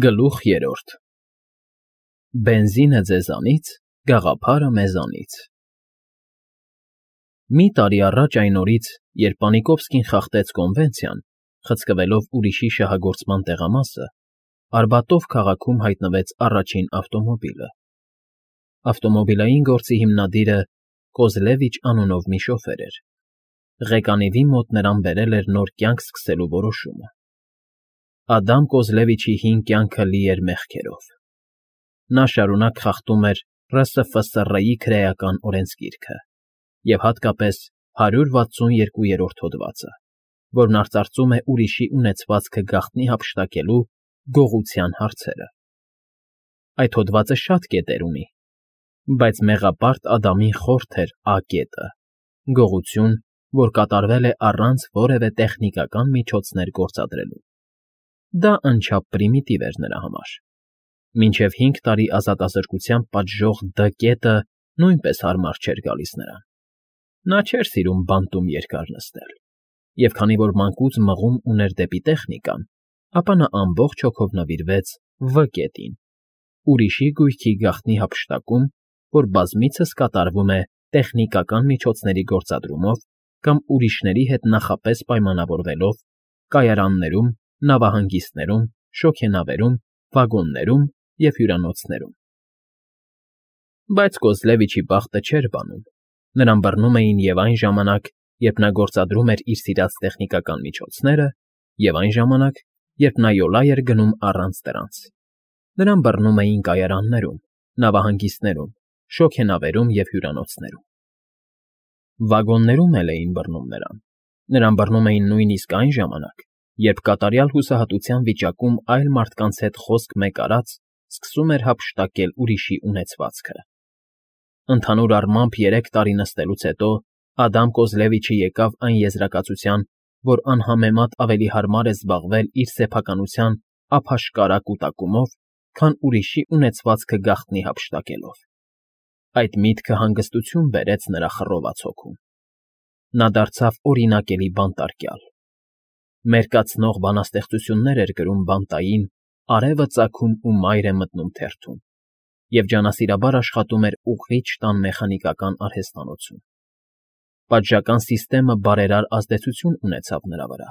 Գլուխ երրորդ Բենզինը ձեզանից, գաղափարը մեզանից։ Մի տարի առաջ այն օրից, երբ Պանիկովսկին խախտեց կոնվենցիան, խցկվելով ուրիշի շահագործման տեղամասը, Արբատով քաղաքում հայտնվեց առաջին ավտոմոբիլը։ Ավտոմոբիլային գործի հիմնադիրը Կոզլևիչ անունով մի շոֆեր էր։ Ղեկանիվի մոտ նրան բերել էր նոր կյանք սկսելու որոշումը։ Ադամ Կոզլևիչի հին կյանքը լի էր մեղքերով։ Նա շարունակ խախտում էր ՌՍՖՍՌ-ի քրեական օրենսգիրքը և հատկապես 162-րդ հոդվածը, որն արծարծում է ուրիշի ունեցվածքը գաղտնի հափշտակելու գողության հարցերը։ Այդ հոդվածը շատ կետեր ունի, բայց մեղապարտ Ադամին խորթ էր Ա կետը՝ գողություն, որ կատարվել է առանց որևէ տեխնիկական միջոցներ գործադրելու։ Դա անչափ պրիմիտիվ էր նրա համար։ Մինչև 5 տարի ազատազրկությամբ պատժող Դ կետը նույնպես հարմար չէր գալիս նրան։ Նա չէր սիրում բանտում երկար նստել, և քանի որ մանկուց մղում ուներ դեպի տեխնիկան, ապա նա ամբողջ հոգով նվիրվեց Վ կետին՝ ուրիշի գույքի գաղտնի հափշտակում, որ բազմիցս կատարվում է տեխնիկական միջոցների գործադրումով կամ ուրիշների հետ նախապես պայմանավորվելով կայարաններում, նավահանգիստներում, շոգենավերում, վագոններում և հյուրանոցներում։ Բայց Կոզլևիչի բախտը չէր բանում։ Նրան բռնում էին և այն ժամանակ, երբ նա գործադրում էր իր սիրած տեխնիկական միջոցները, և այն ժամանակ, երբ նա յոլա էր գնում առանց դրանց։ Նրան բռնում էին կայարաններում, նավահանգիստներում, շոգենավերում և հյուրանոցներում։ Վագոններում էլ էին բռնում նրան։ Նրան բռնում էին նույնիսկ այն ժամանակ, երբ կատարյալ հուսահատության վիճակում այլ մարդկանց հետ խոսք մեկ արած սկսում էր հափշտակել ուրիշի ունեցվածքը։ Ընդհանուր առմամբ 3 տարի նստելուց հետո Ադամ Կոզլևիչը եկավ այն եզրակացության, որ անհամեմատ ավելի հարմար է զբաղվել իր սեփականության ափաշկարա կուտակումով, քան ուրիշի ունեցվածքը գաղտնի հափշտակելով։ Այդ միտքը հանգստություն բերեց նրա խռոված հոգում։ Նա դարձավ օրինակելի բանտարկյալ։ Մերկացնող բանաստեղծություններ էր գրում բանտային, արևը ծագում ու մայր է մտնում թերթում, և ջանասիրաբար աշխատում էր ուղղիչ տան մեխանիկական արհեստանոցում։ Պատժական սիստեմը բարերար ազդեցություն ունեցավ նրա վրա։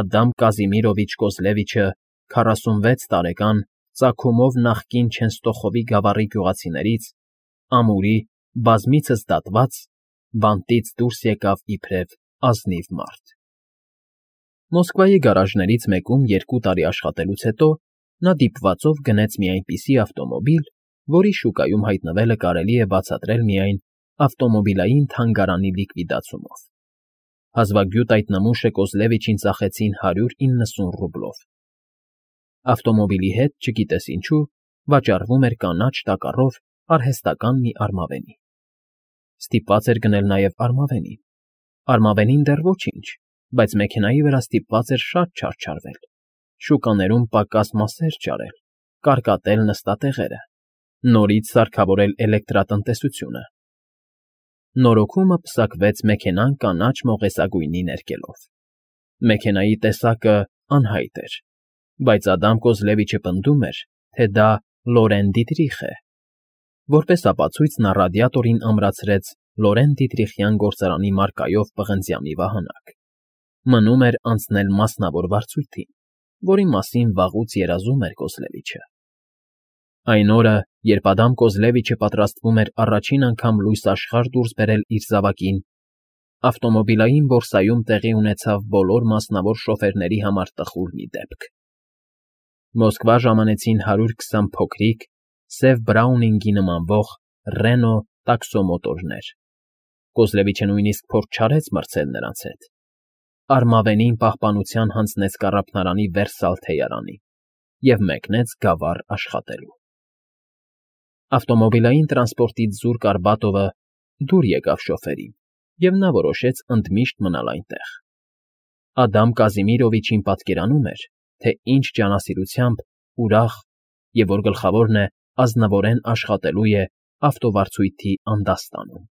Ադամ Կազիմիրովիչ Կոզլևիչը 46 տարեկան ծագումով նախկին Չենստոխովի գավառի գյուղացիներից, ամուրի, բազմիցս դատված, բանտից դուրս եկավ իբրև ազնիվ մարդ։ Մոսկվայի գարաժներից մեկում 2 տարի աշխատելուց հետո նա դիպվածով գնեց մի այնպիսի ավտոմոբիլ, որի շուկայում հայտնվելը կարելի է բացատրել միայն ավտոմոբիլային թանգարանի լիկվիդացումով։ Հազվագյուտ այդ նմուշը Կոզլևիչին ծախեցին 190 ռուբլով։ Ավտոմոբիլի հետ, չգիտես ինչու, վաճառվում էր կանաչ տակառով արհեստական մի արմավենի։ Ստիպված էր գնել նաև արմավենին։ Արմավենին դեռ ոչինչ, բայց մեքենայի վրա ստիպված էր շատ չարչարվել, շուկաներում պակաս մասեր ճարել, կարկատել նստատեղերը, նորից սարքավորել էլեկտրատնտեսությունը։ Նորոգումը պսակվեց մեքենան կանաչ մողեսագույնի ներկելով։ Մեքենայի տեսակը անհայտ էր, բայց Ադամ Կոզլևիչը պնդում էր, թե դա Լորեն Դիտրիխ է։ Որպես ապացույց նա ռադիատորին ամրացրեց Լորեն Դիտրիխյան գործարանի մարկայով պղնձյամի վահանակ։ Մնում էր անցնել մասնավոր վարձույթին, որի մասին վաղուց երազում էր Կոզլևիչը։ Այն օրը, երբ Ադամ Կոզլևիչը պատրաստվում էր առաջին անգամ լույս աշխարհ դուրս բերել իր զավակին, ավտոմոբիլային բորսայում տեղի ունեցավ բոլոր մասնավոր շոֆերների համար տխուր մի դեպք։ Մոսկվա ժամանեցին 120 փոքրիկ, սև Բրաունինգի նմանվող Ռենո տաքսոմոտորներ։ Կոզլևիչը նույնիսկ փորձ չարեց մրցել նրանց հետ։ Արմավենին պահպանության հանձնեց կառափնարանի Վերսալ թեյարանին և մեկնեց գավառ աշխատելու։ Ավտոմոբիլային տրանսպորտից զուրկ Արբատովը դուր եկավ շոֆերին, և նա որոշեց ընդմիշտ մնալ այնտեղ։ Ադամ Կազիմիրովիչին պատկերանում էր, թե ինչ ջանասիրությամբ, ուրախ և, որ գլխավորն է, ազնվորեն աշխատելու է ավտովարձույթի անդաստանում։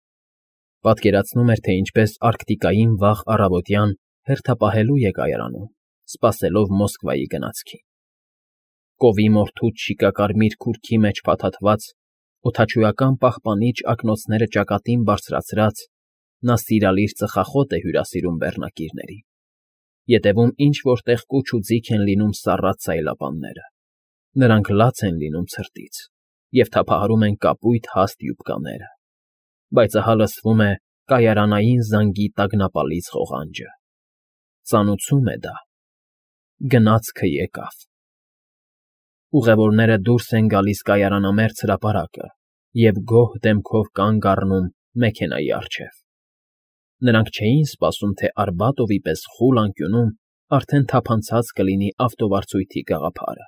Պատկերացնում էր, թե ինչպես Արկտիկային վաղ առավոտյան հերթապահելու է կայարանում, սպասելով Մոսկվայի գնացքին։ կովի մորթուց շիկակարմիր քուրքի մեջ փաթաթված, օդաչուական պահպանիչ ակնոցները ճակատին բարձրացրած, նա սիրալիր ծխախոտ է հյուրասիրում բեռնակիրներին, ետևում ինչ֊որ տեղ կուչ ու ձիգ են լինում սառած սայլապանները, նրանք լաց են լինում ցրտից և թափահարում են կապույտ հաստ յուբկաները, բայց ահա լսվում է կայարանային զանգի տագնապալից ղողանջը. ծանուցում է դա, գնացքը եկավ։ Ուղևորները դուրս են գալիս կայարանամերձ հրապարակը և գոհ դեմքով կանգ առնում մեքենայի առջև։ Նրանք չէին սպասում, թե Արբատովի պես խուլ անկյունում արդեն թափանցած կլինի ավտովարձույթի գաղափարը։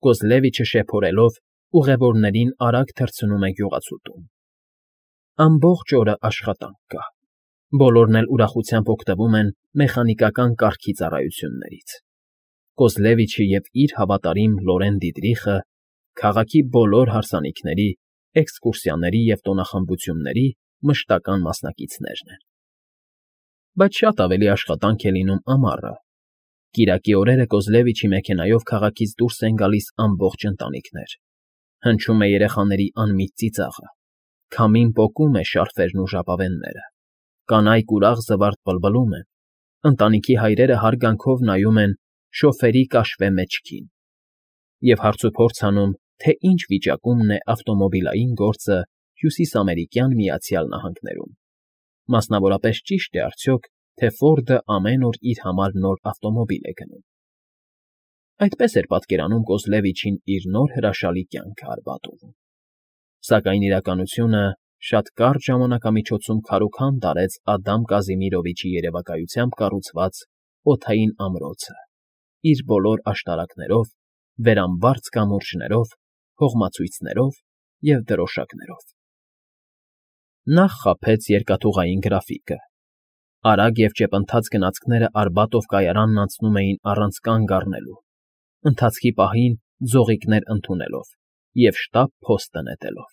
Կոզլևիչը շեփորելով ուղևորներին արագ թռցնում է գյուղացուտում։ Ամբողջ օրը աշխատանք կա։ Բոլորն էլ ուրախությամբ օգտվում են մեխանիկական կարգի ծառայություններից։ Կոզլևիչը և իր հավատարիմ Լորեն Դիտրիխը քաղաքի բոլոր հարսանիքների, էքսկուրսիաների և տոնախմբությունների մշտական մասնակիցներն են։ Բայց շատ ավելի աշխատանք է լինում ամառը։ Կիրակի օրերը Կոզլևիչի մեքենայով քաղաքից դուրս են գալիս ամբողջ ընտանիքներ։ Հնչում է երեխաների անմիտ ծիծաղը։ Քամին պոկում է շարֆերն ու ժապավենները։ Կանայք ուրախ զվարթ բլբլում են։ Ընտանիքի հայրերը հարգանքով նայում են շոֆերի կաշվե մեջքին և հարցուփորձ անում, թե ինչ վիճակումն է ավտոմոբիլային գործը Հյուսիսամերիկյան Միացյալ Նահանգներում։ Մասնավորապես ճի՞շտ է արդյոք, թե Ֆորդը ամեն օր իր համար նոր ավտոմոբիլ է գնում։ Այդպես էր պատկերանում Կոզլևիչին իր նոր հրաշալի կյանքը Արբատովում։ Սակայն իրականությունը շատ կարճ ժամանակամիջոցում քարուքանդ արեց Ադամ Կազիմիրովիչի երևակայությամբ կառուցված օդային ամրոցը իր բոլոր աշտարակներով, վերամբարձ կամուրջներով, հողմացույցներով և դրոշակներով։ Նախ խաբեց երկաթուղային գրաֆիկը։ Արագ և ճեպընթաց գնացքները Արբատով կայարանն անցնում էին առանց կանգ առնելու, ընթացքի պահին ձողիկներ ընդունելով և շտապ փոստը նետելով։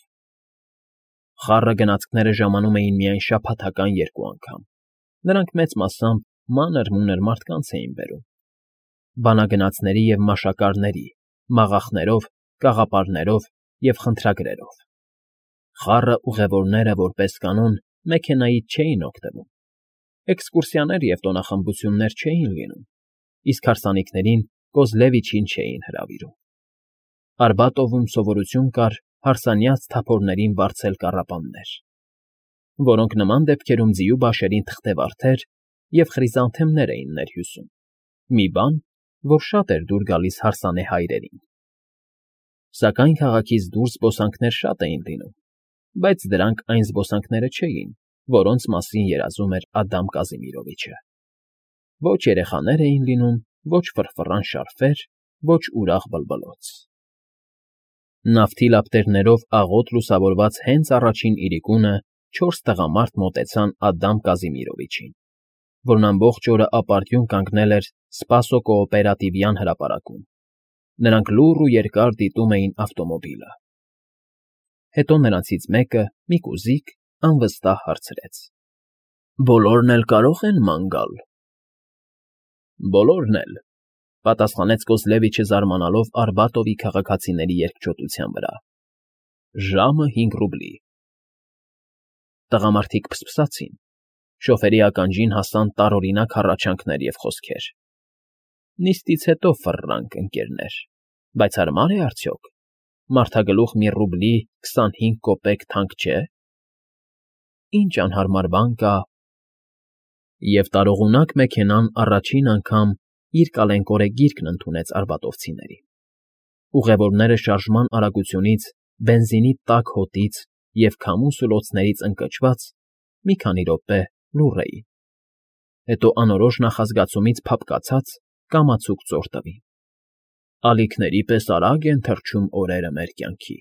Խառը գնացքները ժամանում էին միայն շաբաթական 2 անգամ։ Նրանք մեծ մասամբ մանր֊մունր մարդկանց էին բերում։ Բանագնացների և մաշակարների, մաղախներով, կաղապարներով և խնդրագրերով։ Խառը ուղևորները, որպես կանոն, մեքենայից չէին օգտվում։ Էքսկուրսիաներ և տոնախմբություններ չէին լինում, իսկ հարսանիքներին Կոզլևիչին չէին հրավիրում։ Արբատովում սովորություն կար հարսանյաց թափորներին վարձել կառապաններ, որոնք նման դեպքերում ձիու բաշերին թղթևարդեր և խրիզանթեմներ էին ներհյուսում, մի բան, որ շատ էր դուր գալիս հարսանե հայրերին։ Սակայն քաղաքից դուրս զբոսանքներ շատ էին լինում, բայց դրանք այն զբոսանքները չէին, որոնց մասին երազում էր Ադամ Կազիմիրովիչը։ Ոչ երեխաներ էին լինում, ոչ ֆռֆռան շարֆեր, ոչ ուրախ բլբլոց։ Նավթի լապտերներով աղոտ լուսավորված հենց առաջին իրիկունը 4 տղամարդ մոտեցան Ադամ Կազիմիրովիչին, որն ամբողջ օրը ապարդյուն կանգնել էր Սպասո կոոպերատիվյան հրապարակում։ Նրանք լուռ ու երկար դիտում էին ավտոմոբիլը։ Հետո նրանցից մեկը, մի կուզիկ, անվստահ հարցրեց. «Բոլորն էլ կարո՞ղ են ման գալ»։ «Բոլորն էլ», պատասխանեց Կոզլևիչը զարմանալով Արբատովի քաղաքացիների երկչոտության վրա։ «Ժամը 5 ռուբլի»։ Տղամարդիկ փսփսացին։ Շոֆերի ականջին հասան տարօրինակ հառաչանքներ և խոսքեր։ Նիստից հետո ֆռռանք, ընկերներ, բայց հարմա՞ր է արդյոք։ Մարդագլուխ 1 ռուբլի 25 կոպեկ թանկ չէ։ Ինչ անհարմար բան կա։ Եվ տարողունակ մեքենան առաջին անգամ իր կալենկորե գիրկն արբատովցիներին։ Ուղևորները շարժման արագությունից, բենզինի տաք հոտից և քամու սուլոցներից ընկճված մի քանի րոպե լուռ էին։ Հետո անորոշ նախազգացումից փափկացած կամացուկ ծոր տվին։ Ալիքների պես արագ են թռչում օրերը մեր կյանքի։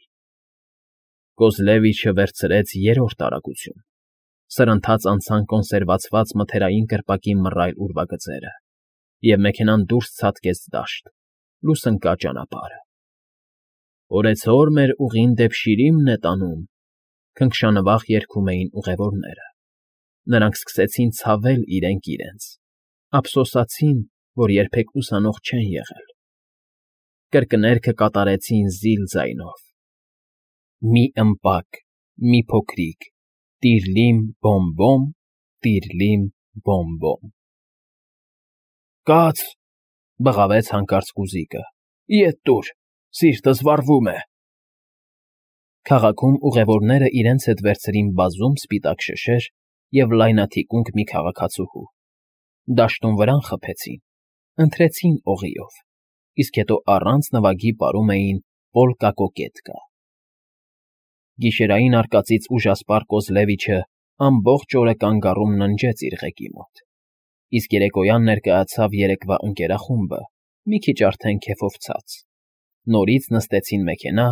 Կոզլևիչը վերցրեց 3-րդ արագություն։ Սրընթաց անցան կոնսերվացված մթերային կրպակի մռայլ ուրվագծերը, և մեքենան դուրս ցատկեց դաշտ, լուսնկա ճանապարհը։ «Օրեցօր մեր ուղին դեպ Շիրիմն է տանում», քնքշանվախ երգում էին ուղևորները։ Նրանք սկսեցին ցավել իրենք իրենց, ափսոսացին, որ երբեք ուսանող չեն եղել։ կրկներքը կատարեցին զիլ ձայնով. մի ըմպակ, մի փոքրիկ, տիրլիմ բոմ֊բոմ, տիրլիմ բոմ֊բոմ։ Կաց, բղավեց հանկարծ Կուզիկը, ետ տուր, սիրտս վառվում է։ Քաղաքում ուղևորները իրենց հետ վերցրին բազում սպիտակ շշեր և լայնաթիկունք մի քաղաքացուհու, դաշտում վրան խփեցին, ընթրեցին օղիով, իսկ հետո առանց նվագի պարում էին պոլկա֊կոկետկա։ Գիշերային արկածից ուժասպառ Կոզլևիչը ամբողջ օրը կանգառում ննջեց իր ղեկի մոտ, իսկ երեկոյան ներկայացավ երեկվա ընկերախումբը, մի քիչ արդեն քեֆով ցած, նորից նստեցին մեքենա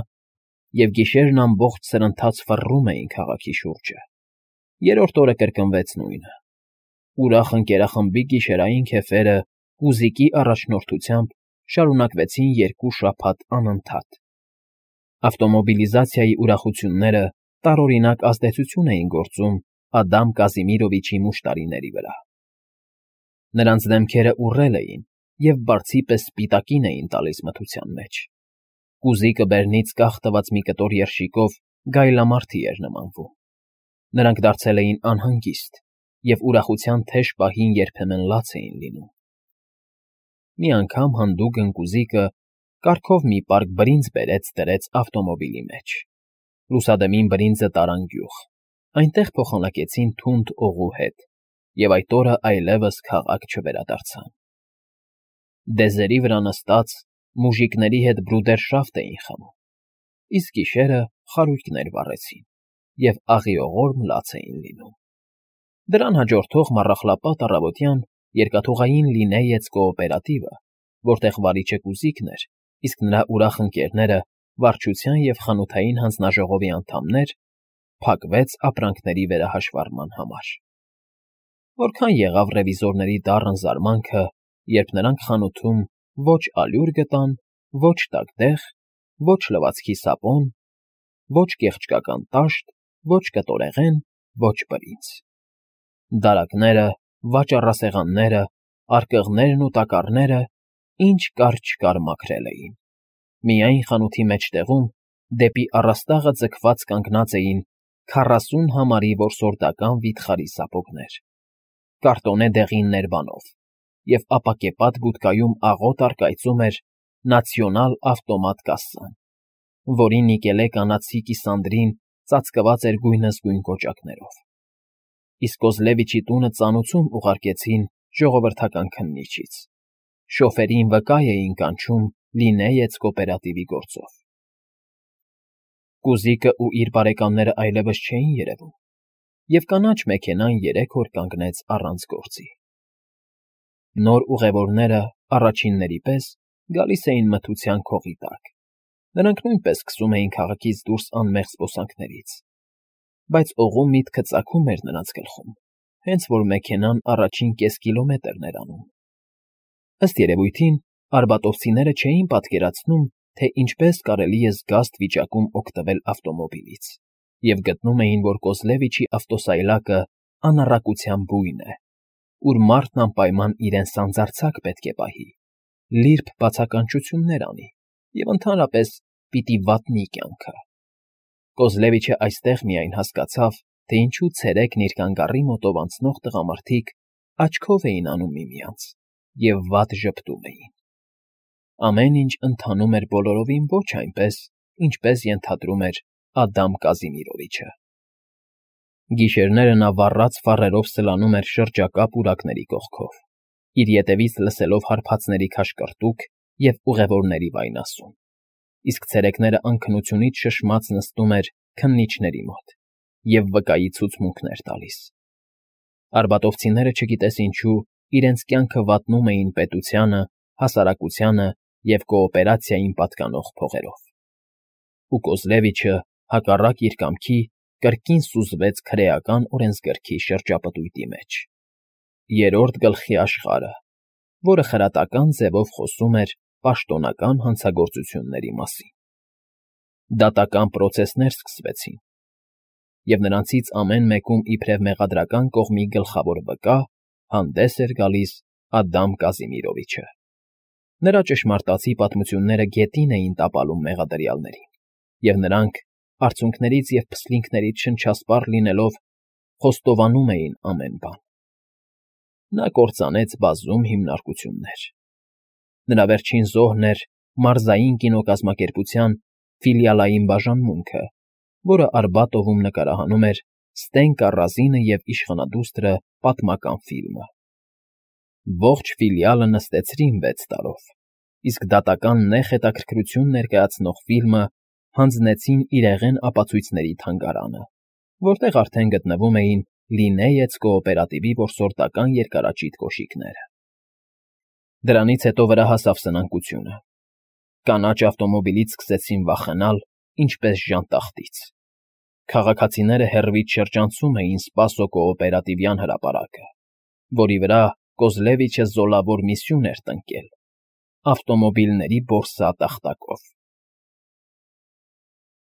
և գիշերն ամբողջ սրընթաց ֆռռում էին քաղաքի շուրջը։ Երրորդ օրը կրկնվեց նույնը։ Ուրախ ընկերախմբի գիշերային քեֆերը Կուզիկի առաջնորդությամբ շարունակվեցին 2 շաբաթ անընդհատ։ Ավտոմոբիլիզացիայի ուրախությունները տարօրինակ ազդեցություն էին գործում Ադամ Կազիմիրովիչի մուշտարիների վրա։ Նրանց դեմքերը ուռել էին և բարձի պես սպիտակին էին տալիս մթության մեջ։ Կուզիկը բերնից կախ տված մի կտոր երշիկով գայլամարդի էր նմանվում։ Նրանք դարձել էին անհանգիստ և ուրախության թեժ պահին երբեմն լաց էին լինում։ Մի անգամ հանդուգն Կուզիկը կառքով մի պարկ բրինձ բերեց դրեց ավտոմոբիլի մեջ։ Լուսադեմին բրինձը տարան գյուղ, այնտեղ փոխանակեցին թունդ օղու հետ, և այդ օրը այլևս քաղաք չվերադարձան։ Դեզերի վրա նստած մուժիկների հետ բրուդերշաֆտ էին խմում, իսկ գիշերը խարույկներ վառեցին և աղիողորմ լաց էին լինում։ Դրան հաջորդող մառախլապատ առավոտյան երկաթուղային Լինեյեց կոոպերատիվը, որտեղ վարիչը Կուզիկն էր, իսկ նրա ուրախ ընկերները վարչության և խանութային հանձնաժողովի անդամներ, փակվեց ապրանքների վերահաշվառման համար։ Որքան եղավ ռևիզորների դառն զարմանքը, երբ նրանք խանութում ոչ ալյուր գտան, ոչ տակդեղ, ոչ լվացքի սապոն, ոչ կեղճկական տաշտ, ոչ կտորեղեն, ոչ բրինձ։ Դարակները, վաճառասեղանները, արկղներն ու տակառները ինչ կար֊չկար մաքրել էին։ Միայն խանութի մեջտեղում, դեպի առաստաղը ձգված կանգնած էին 40 համարի որսորդական վիթխարի սապոգներ, կարտոնե դեղին ներբանով, և ապակեպատ բուդկայում աղոտ առկայծում էր Նացիոնալ ավտոմատ կասսան, որի նիկելե կանացի կիսանդրին ծածկված էր գույնզգույն կոճակներով։ Իսկ Կոզլևիչի տունը ծանուցում ուղարկեցին ժողովրդական քննիչից։ Շոֆերին վկա էին կանչում Լինեյեց կոոպերատիվի գործով։ Կուզիկը ու իր բարեկամները այլևս չէին երևում, և կանաչ մեքենան 3 օր կանգնեց առանց գործի։ Նոր ուղևորները, առաջինների պես, գալիս էին մթության քողի տակ։ Նրանք նույնպես սկսում էին քաղաքից դուրս անմեղ զբոսանքներից, բայց օղու միտքը ծագում էր նրանց գլխում, հենց որ մեքենան առաջին կես կիլոմետրն էր անում։ Ըստ երևույթին, արբատովցիները չէին պատկերացնում, թե ինչպես կարելի է զգաստ վիճակում օգտվել ավտոմոբիլից, և գտնում էին, որ Կոզլևիչի ավտոսայլակը անառակության բույն է, ուր մարդն անպայման իրեն սանձարձակ պետք է պահի, լիրբ բացականչություններ անի և ընդհանրապես պիտի վատնի կյանքը։ Կոզլևիչը այստեղ միայն հասկացավ, թե ինչու ցերեկն իր կանգառի մոտով անցնող տղամարդիկ աչքով էին անում միմյանց և վատ ժպտում էին։ Ամեն ինչ ընթանում էր բոլորովին ոչ այնպես, ինչպես ենթադրում էր Ադամ Կազիմիրովիչը։ Գիշերները նա վառած ֆառերով սլանում էր շրջակա պուրակների կողքով, իր ետևից լսելով հարբածների քաշկրտուկ և ուղևորների վայնասուն, իսկ ցերեկները անքնությունից շշմած նստում էր քննիչների մոտ և վկայի ցուցմունքներ տալիս։ Արբատովցիները չգիտես ինչու իրենց կյանքը վատնում էին պետությանը, հասարակությանը և կոոպերացիային պատկանող փողերով։ Ու Կոզլևիչը, հակառակ իր կամքի, կրկին սուզվեց քրեական օրենսգրքի շրջապտույտի մեջ։ Երրորդ գլխի աշխարհը, որը խրատական ձևով խոսում էր պաշտոնական հանցագործությունների մասին։ Դատական պրոցեսներ սկսվեցին, և նրանցից ամեն մեկում իբրև մեղադրական կողմի գլխավոր վկա հանդես էր գալիս Ադամ Կազիմիրովիչը։ Նրա ճշմարտացի պատմությունները գետին էին տապալում մեղադրյալներին, և նրանք, արցունքներից և փսլինքներից շնչասպառ լինելով, խոստովանում էին ամեն բան։ Նա կործանեց բազում հիմնարկություններ։ Նրա վերջին զոհն էր մարզային կինոկազմակերպության ֆիլիալային բաժանմունքը, որը Արբատովում նկարահանում էր «Ստենկա Ռազինը և իշխանադուստրը» պատմական ֆիլմը։ Ողջ ֆիլիալը նստեցրին 6 տարով, իսկ դատական նեղ հետաքրքրություն ներկայացնող ֆիլմը հանձնեցին իրեղեն ապացույցների թանգարանը, որտեղ արդեն գտնվում էին Լինեյեց կոոպերատիվի որսորդական երկարաճիտ կոշիկները։ Դրանից հետո վրա հասավ սնանկությունը։ Կանաչ ավտոմոբիլից սկսեցին վախենալ, ինչպես ժանտախտից։ Քաղաքացիները հեռվից շրջանցում էին Սպասո կոոպերատիվյան հրապարակը, որի վրա Կոզլևիչը զոլավոր մի սյուն էր տնկել՝ ավտոմոբիլների բորսա տախտակով։